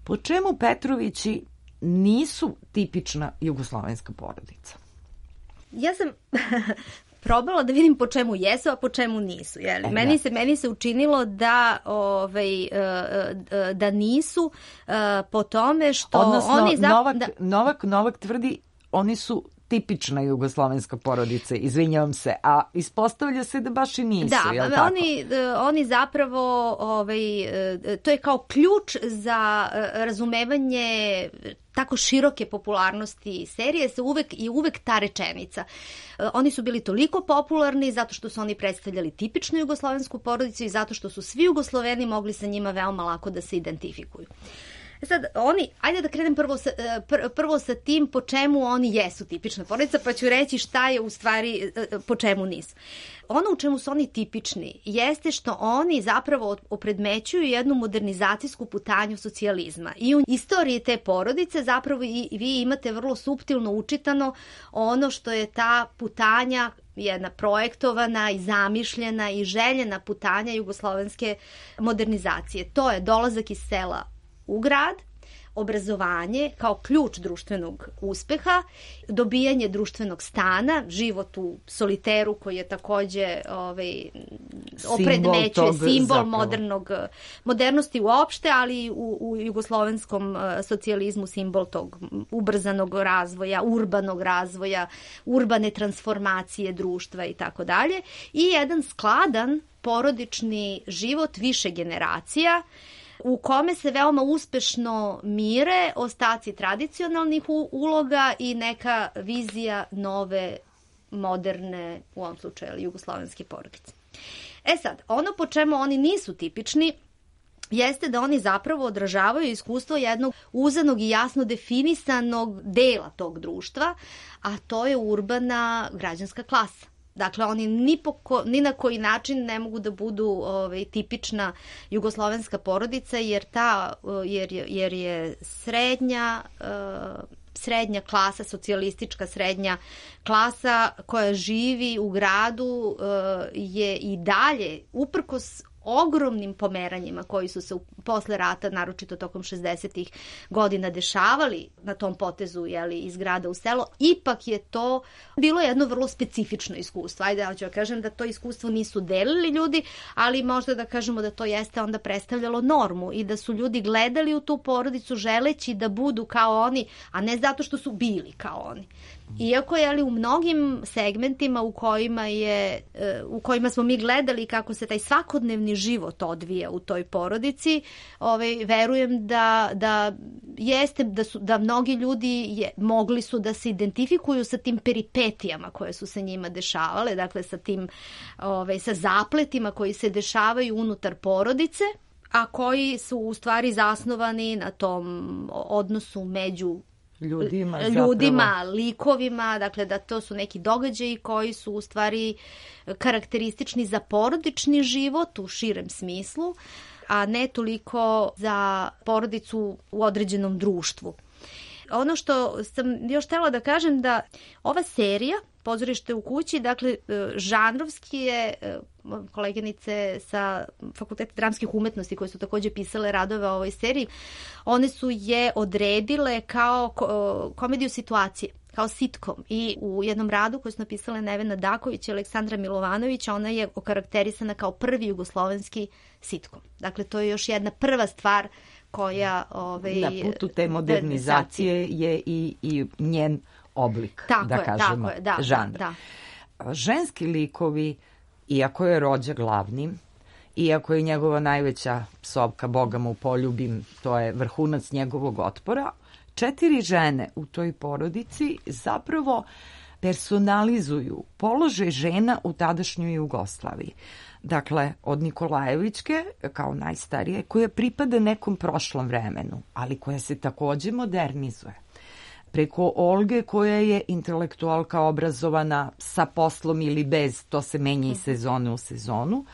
Po čemu Petrovići nisu tipična jugoslovenska porodica? Ja sam probala da vidim po čemu jesu, a po čemu nisu. Jeli? E, meni, se, meni se učinilo da, ovaj, da nisu po tome što... Odnosno, oni zap... Novak, da... Novak, Novak tvrdi oni su tipična jugoslovenska porodica, izvinjavam se, a ispostavlja se da baš i nisu, da, jel tako? Oni, oni zapravo, ovaj, to je kao ključ za razumevanje tako široke popularnosti serije, se uvek i uvek ta rečenica. Oni su bili toliko popularni zato što su oni predstavljali tipičnu jugoslovensku porodicu i zato što su svi Jugosloveni mogli sa njima veoma lako da se identifikuju. Sad, oni, ajde da krenem prvo sa, pr, prvo sa tim po čemu oni jesu tipična porodica, pa ću reći šta je u stvari, po čemu nisu. Ono u čemu su oni tipični jeste što oni zapravo opredmećuju jednu modernizacijsku putanju socijalizma. I u istoriji te porodice zapravo i vi imate vrlo suptilno učitano ono što je ta putanja, jedna projektovana i zamišljena i željena putanja jugoslovenske modernizacije. To je dolazak iz sela u grad, obrazovanje kao ključ društvenog uspeha, dobijanje društvenog stana, život u soliteru koji je takođe ovaj, opredmećuje simbol modernog, modernosti uopšte, ali u, u jugoslovenskom socijalizmu simbol tog ubrzanog razvoja, urbanog razvoja, urbane transformacije društva i tako dalje. I jedan skladan porodični život više generacija u kome se veoma uspešno mire ostaci tradicionalnih uloga i neka vizija nove, moderne, u ovom slučaju, jugoslovenske porodice. E sad, ono po čemu oni nisu tipični jeste da oni zapravo odražavaju iskustvo jednog uzanog i jasno definisanog dela tog društva, a to je urbana građanska klasa. Dakle, oni ni, po ko, ni na koji način ne mogu da budu ovaj, tipična jugoslovenska porodica, jer, ta, jer, jer je srednja, uh, srednja klasa, socijalistička srednja klasa koja živi u gradu uh, je i dalje, uprkos ogromnim pomeranjima koji su se posle rata, naročito tokom šezdesetih godina, dešavali na tom potezu, jeli, iz grada u selo, ipak je to bilo jedno vrlo specifično iskustvo. Ajde, ja ću kažem da to iskustvo nisu delili ljudi, ali možda da kažemo da to jeste onda predstavljalo normu i da su ljudi gledali u tu porodicu želeći da budu kao oni, a ne zato što su bili kao oni. Iako je ali u mnogim segmentima u kojima je u kojima smo mi gledali kako se taj svakodnevni život odvija u toj porodici, ovaj verujem da da jeste da su da mnogi ljudi je, mogli su da se identifikuju sa tim peripetijama koje su se njima dešavale, dakle sa tim ovaj sa zapletima koji se dešavaju unutar porodice, a koji su u stvari zasnovani na tom odnosu među ljudima, ljudima, likovima, dakle da to su neki događaji koji su u stvari karakteristični za porodični život u širem smislu, a ne toliko za porodicu u određenom društvu. Ono što sam još htjela da kažem da ova serija Pozorište u kući, dakle, žanrovski je, koleginice sa Fakulteta dramskih umetnosti koje su također pisale radove o ovoj seriji, one su je odredile kao komediju situacije, kao sitkom. I u jednom radu koji su napisale Nevena Daković i Aleksandra Milovanović, ona je okarakterisana kao prvi jugoslovenski sitkom. Dakle, to je još jedna prva stvar koja... Ovaj, na putu te modernizacije je i, i njen oblik, tako da je, kažemo, tako je, da, žanr. Da. Ženski likovi, iako je Rođa glavni, iako je njegova najveća psovka Boga mu poljubim, to je vrhunac njegovog otpora, četiri žene u toj porodici zapravo personalizuju položaj žena u tadašnjoj Jugoslaviji. Dakle, od Nikolajevićke, kao najstarije, koja pripada nekom prošlom vremenu, ali koja se takođe modernizuje. Preko Olge koja je intelektualka obrazovana sa poslom ili bez, to se menja iz sezone u sezonu,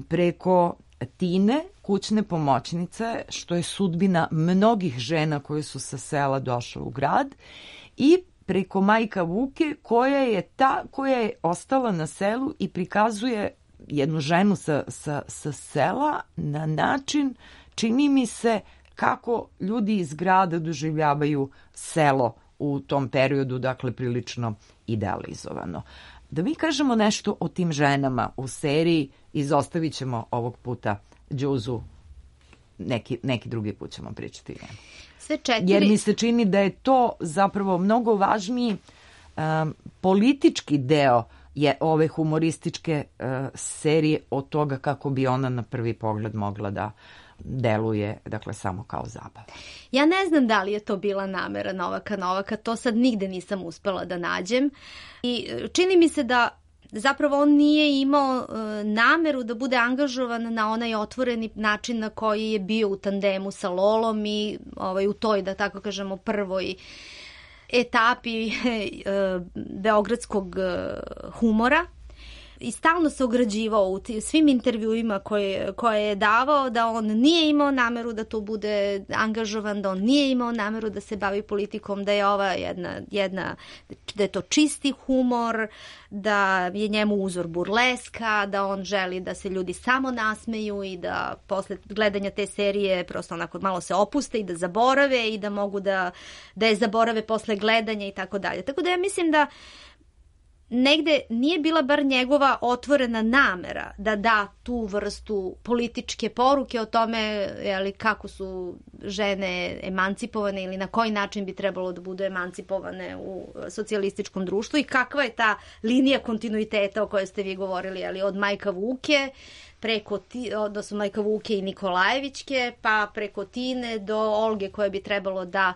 preko Tine, kućne pomoćnice, što je sudbina mnogih žena koje su sa sela došle u grad, i preko majka Vuke koja je ta koja je ostala na selu i prikazuje jednu ženu sa, sa, sa sela na način, čini mi se, kako ljudi iz grada doživljavaju selo u tom periodu, dakle prilično idealizovano. Da mi kažemo nešto o tim ženama u seriji, izostavit ćemo ovog puta Đuzu, neki, neki drugi put ćemo pričati o njemu. Sve četiri... Jer mi se čini da je to zapravo mnogo važniji um, politički deo je ove humorističke uh, serije od toga kako bi ona na prvi pogled mogla da deluje, dakle, samo kao zabava. Ja ne znam da li je to bila namera Novaka Novaka, to sad nigde nisam uspela da nađem. I čini mi se da zapravo on nije imao uh, nameru da bude angažovan na onaj otvoreni način na koji je bio u tandemu sa Lolom i ovaj, u toj, da tako kažemo, prvoj etapi uh, beogradskog uh, humora. I stalno se ograđivao u svim intervjuima koje, koje je davao da on nije imao nameru da to bude angažovan, da on nije imao nameru da se bavi politikom, da je ova jedna, jedna da je to čisti humor, da je njemu uzor burleska, da on želi da se ljudi samo nasmeju i da posle gledanja te serije prosto onako malo se opuste i da zaborave i da mogu da, da je zaborave posle gledanja i tako dalje. Tako da ja mislim da negde nije bila bar njegova otvorena namera da da tu vrstu političke poruke o tome jeli, kako su žene emancipovane ili na koji način bi trebalo da budu emancipovane u socijalističkom društvu i kakva je ta linija kontinuiteta o kojoj ste vi govorili, jeli, od Majka Vuke preko, da su Majka Vuke i Nikolajevićke, pa preko Tine do Olge koja bi trebalo da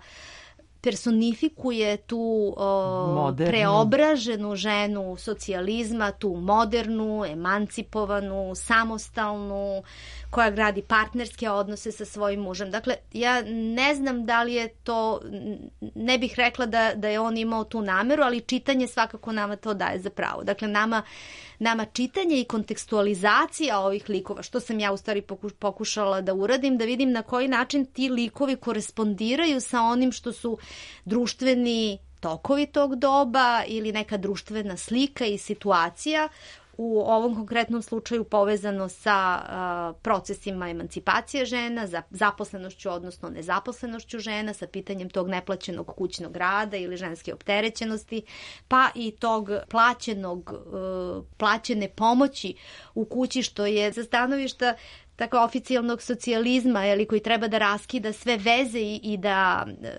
personifikuje tu o, preobraženu ženu socijalizma, tu modernu, emancipovanu, samostalnu, koja gradi partnerske odnose sa svojim mužem. Dakle, ja ne znam da li je to, ne bih rekla da, da je on imao tu nameru, ali čitanje svakako nama to daje za pravo. Dakle, nama, nama čitanje i kontekstualizacija ovih likova, što sam ja u stvari pokušala da uradim, da vidim na koji način ti likovi korespondiraju sa onim što su društveni tokovi tog doba ili neka društvena slika i situacija, u ovom konkretnom slučaju povezano sa uh, procesima emancipacije žena, za zaposlenošću, odnosno nezaposlenošću žena, sa pitanjem tog neplaćenog kućnog rada ili ženske opterećenosti, pa i tog plaćenog, uh, plaćene pomoći u kući, što je za stanovišta tako oficijalnog socijalizma, jeli, koji treba da raskida sve veze i, i da e,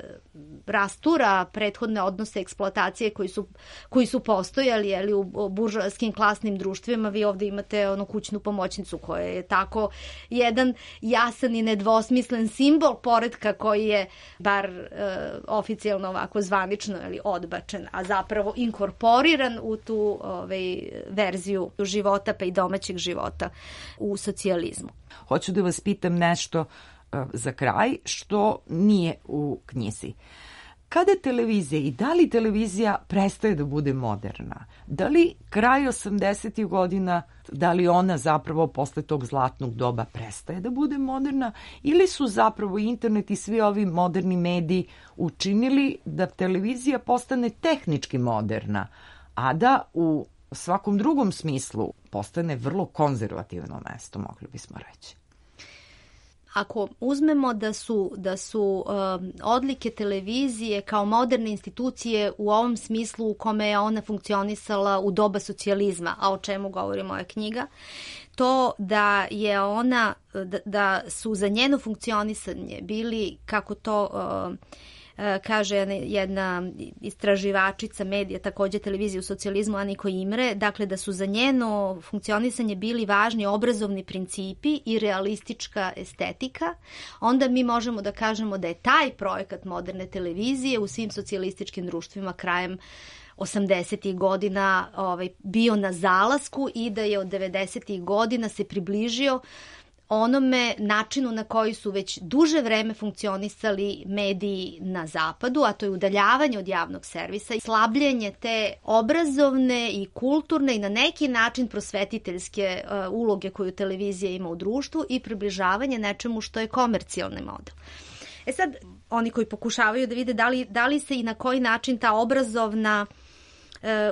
rastura prethodne odnose eksploatacije koji su, koji su postojali, jeli, u, u buržoaskim klasnim društvima. Vi ovde imate onu kućnu pomoćnicu koja je tako jedan jasan i nedvosmislen simbol poretka koji je bar e, oficijalno ovako zvanično, jeli, odbačen, a zapravo inkorporiran u tu ovaj, verziju života pa i domaćeg života u socijalizmu. Hoću da vas pitam nešto uh, za kraj što nije u knjizi. Kada televizija i da li televizija prestaje da bude moderna? Da li kraj osamdesetih godina, da li ona zapravo posle tog zlatnog doba prestaje da bude moderna ili su zapravo internet i svi ovi moderni mediji učinili da televizija postane tehnički moderna, a da u svakom drugom smislu postane vrlo konzervativno mesto, mogli bismo reći? Ako uzmemo da su, da su um, odlike televizije kao moderne institucije u ovom smislu u kome je ona funkcionisala u doba socijalizma, a o čemu govori moja knjiga, to da je ona, da, da su za njeno funkcionisanje bili, kako to uh, kaže jedna istraživačica medija, takođe televizije u socijalizmu, Aniko Imre, dakle da su za njeno funkcionisanje bili važni obrazovni principi i realistička estetika, onda mi možemo da kažemo da je taj projekat moderne televizije u svim socijalističkim društvima krajem osamdesetih godina ovaj, bio na zalasku i da je od devedesetih godina se približio onome načinu na koji su već duže vreme funkcionisali mediji na zapadu, a to je udaljavanje od javnog servisa i slabljenje te obrazovne i kulturne i na neki način prosvetiteljske uh, uloge koju televizija ima u društvu i približavanje nečemu što je komercijalni model. E sad, oni koji pokušavaju da vide da li, da li se i na koji način ta obrazovna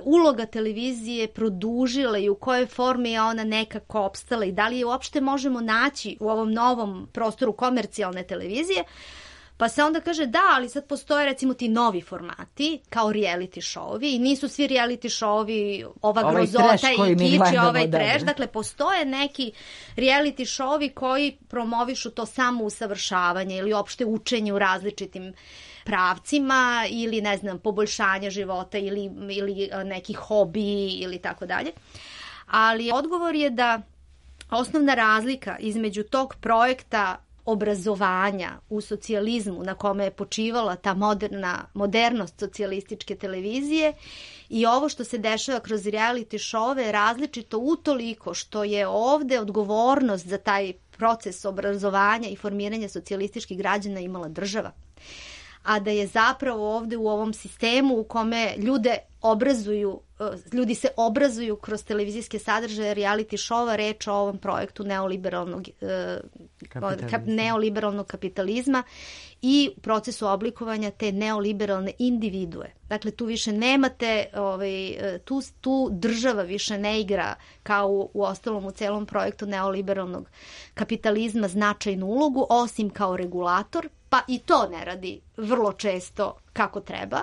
uloga televizije produžila i u kojoj formi je ona nekako opstala i da li je uopšte možemo naći u ovom novom prostoru komercijalne televizije, pa se onda kaže da, ali sad postoje recimo ti novi formati kao reality show-ovi i nisu svi reality show-ovi ova ovaj grozota i kič i ovaj trash, dakle postoje neki reality show-ovi koji promovišu to samo usavršavanje ili opšte učenje u različitim pravcima ili ne znam poboljšanja života ili, ili neki hobi ili tako dalje. Ali odgovor je da osnovna razlika između tog projekta obrazovanja u socijalizmu na kome je počivala ta moderna, modernost socijalističke televizije i ovo što se dešava kroz reality show je različito utoliko što je ovde odgovornost za taj proces obrazovanja i formiranja socijalističkih građana imala država. A da je zapravo ovde u ovom sistemu u kome ljude obrazuju, ljudi se obrazuju kroz televizijske sadržaje reality showa, reč o ovom projektu neoliberalnog, kap, neoliberalnog kapitalizma i procesu oblikovanja te neoliberalne individue. Dakle, tu više nemate, ovaj, tu, tu država više ne igra kao u, u ostalom u celom projektu neoliberalnog kapitalizma značajnu ulogu, osim kao regulator, pa i to ne radi vrlo često kako treba,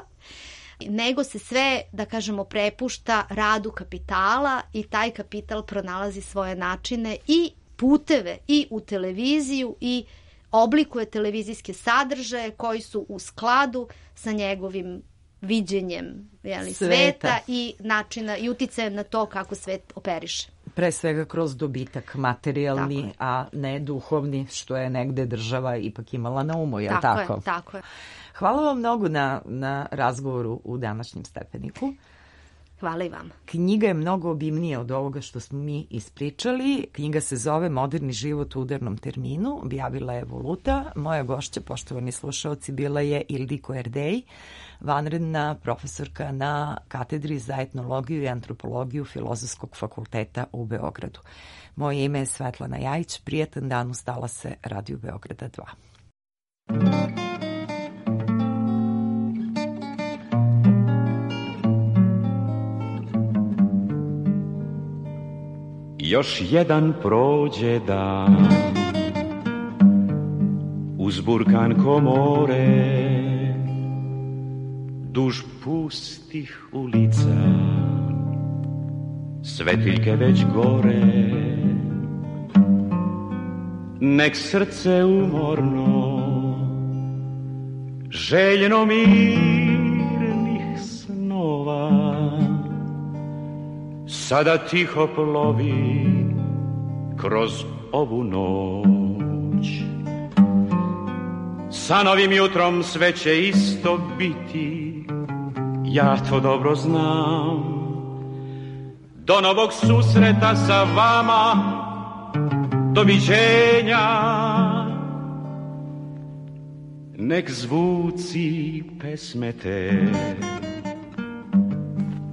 nego se sve, da kažemo, prepušta radu kapitala i taj kapital pronalazi svoje načine i puteve i u televiziju i oblikuje televizijske sadržaje koji su u skladu sa njegovim viđenjem jeli, sveta. sveta i načina i uticajem na to kako svet operiše. Pre svega kroz dobitak materijalni, a ne duhovni, što je negde država ipak imala na umu, je li tako? Tako je, tako je. Hvala vam mnogo na, na razgovoru u današnjem Stepeniku. Hvala i vama. Knjiga je mnogo obimnija od ovoga što smo mi ispričali. Knjiga se zove Moderni život u udarnom terminu. Objavila je Voluta. Moja gošća, poštovani slušaoci, bila je Ildiko Erdej, vanredna profesorka na katedri za etnologiju i antropologiju Filozofskog fakulteta u Beogradu. Moje ime je Svetlana Jajić. Prijetan dan, ustala se Radio Beograda dva. Još jedan prođe dan uz burkan komore, duž pustih ulica, svetiljke već gore. Nek srce umorno, željno mirnih snova, sada tiho plovi kroz ovu noć. Sa novim jutrom sve će isto biti, ja to dobro znam. Do novog susreta sa vama, doviđenja. Nek zvuci pesme te,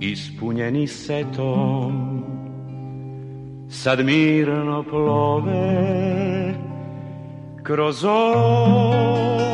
ispunjeni setom, sad mirno plove kroz ovo